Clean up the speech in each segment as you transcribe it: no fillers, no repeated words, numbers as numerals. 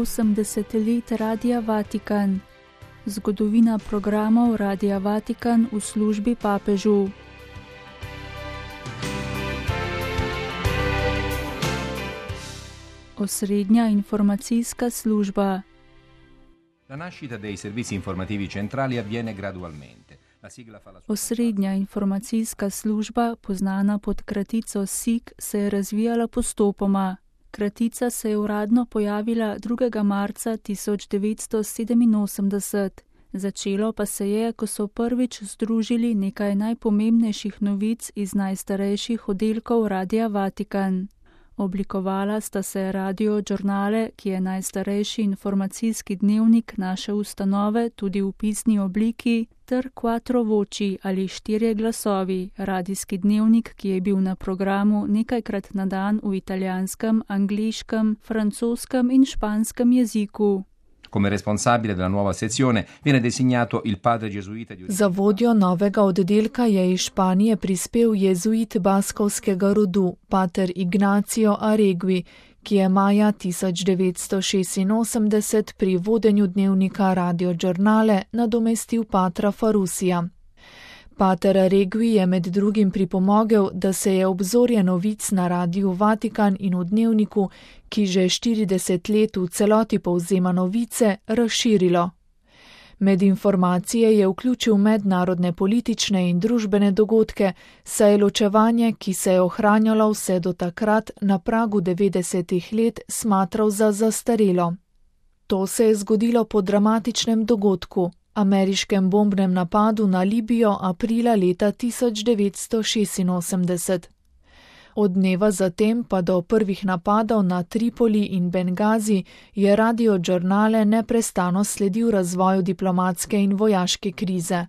80 let Radia Vatikan. Zgodovina programov Radia Vatikan v službi papežu. Osrednja informacijska služba. La nascita dei servizi informativi centrali avviene gradualmente. Osrednja informacijska služba, poznana pod kratico SIK, se je razvijala postopoma. Kratica se je uradno pojavila 2. marca 1987. Začelo pa se je, ko so prvič združili nekaj najpomembnejših novic iz najstarejših oddelkov Radia Vatikan. Oblikovala sta se Radio Giornale, ki je najstarejši informacijski dnevnik naše ustanove tudi v pisni obliki, ter Quattro Voci ali 4 glasovi, radijski dnevnik, ki je bil na programu nekajkrat na dan v italijanskem, angliškem, francoskem in španskem jeziku. Come responsabile della nuova sezione viene designato il padre gesuita di... Za vodjo novega oddelka je iz Španije prispel jezuit baskovskega rodu, pater Ignacio Aregui, ki je maja 1986 pri vodenju dnevnika Radio Giornale nadomestil patra Farusija. Pater Aregui je med drugim pripomogel, da se je obzorje novic na Radiu Vatikan in v dnevniku, ki že 40 let v celoti povzema novice, razširilo. Med informacije je vključil mednarodne politične in družbene dogodke, saj je ločevanje, ki se je ohranjalo vse do takrat na pragu 90 let, smatral za zastarelo. To se je zgodilo po dramatičnem dogodku, ameriškem bombnem napadu na Libijo aprila leta 1986. Od dneva zatem pa do prvih napadov na Tripoli in Bengazi je Radio Giornale neprestano sledil razvoju diplomatske in vojaške krize.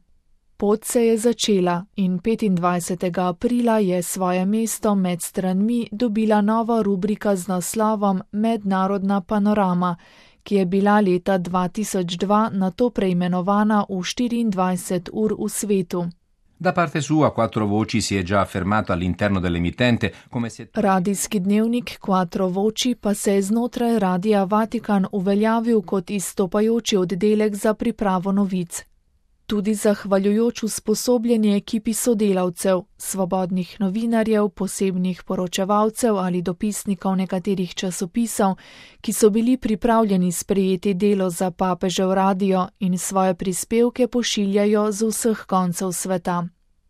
Pot se je začela in 25. aprila je svoje mesto med stranmi dobila nova rubrika z naslovom Mednarodna panorama, ki je bila leta 2002 nato preimenovana v 24 ur v svetu. Da parte sua Quattro Voci si è già affermato all'interno dell'emittente come se... Radijski dnevnik Quattro Voci pa se je znotraj Radia Vatikan uveljavil kot izstopajoči oddelek za pripravo novic. Tudi zahvaljujoč usposobljeni ekipi sodelavcev, svobodnih novinarjev, posebnih poročevalcev ali dopisnikov nekaterih časopisov, ki so bili pripravljeni sprejeti delo za papežev radio in svoje prispevke pošiljajo z vseh koncev sveta.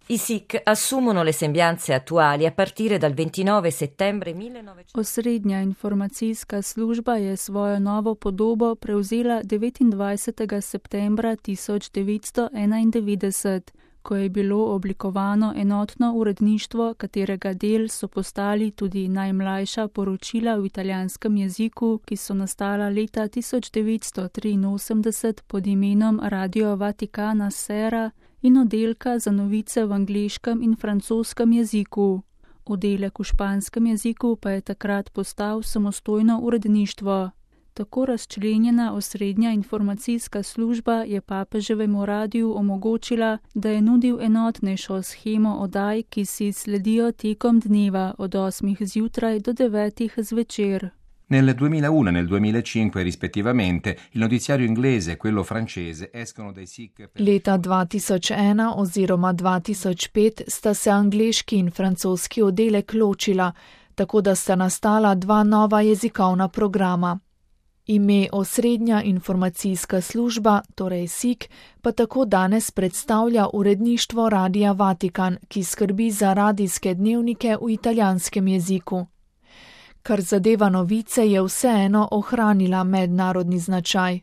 I SIK assumono le sembianze attuali a partire dal 29 settembre 1900. Osrednja informacijska služba je svojo novo podobo prevzela 29. septembra 1991, ko je bilo oblikovano enotno uredništvo, katerega del so postali tudi najmlajša poročila v italijanskem jeziku, ki so nastala leta 1983 pod imenom Radio Vaticana Sera, in oddelka za novice v angleškem in francoskem jeziku. Oddelek v španskem jeziku pa je takrat postal samostojno uredništvo. Tako razčlenjena osrednja informacijska služba je papeževemu radiju omogočila, da je nudil enotnejšo shemo oddaj, ki si sledijo tekom dneva od 8 zjutraj do 9 zvečer. Nel 2001 e nel 2005 rispettivamente il notiziario inglese e quello francese escono dai SIK. Leta 2001 oziroma 2005 sta se angleški in francoski oddelek ločila, tako da sta nastala 2 nova jezikovna programa. Ime Osrednja informacijska služba, torej SIK, pa tako danes predstavlja uredništvo Radia Vatikan, ki skrbi za radijske dnevnike v italijanskem jeziku. Kar zadeva novice, je vseeno ohranila mednarodni značaj.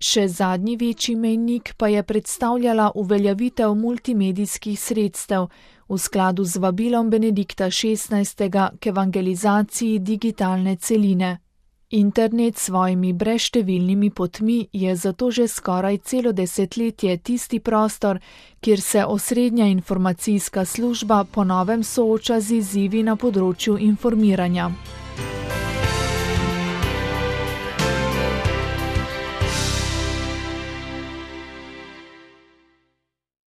Še zadnji večji mejnik pa je predstavljala uveljavitev multimedijskih sredstev v skladu z vabilom Benedikta XVI. K evangelizaciji digitalne celine. Internet s svojimi brezštevilnimi potmi je zato že skoraj celo desetletje tisti prostor, kjer se osrednja informacijska služba po novem sooča z izzivi na področju informiranja.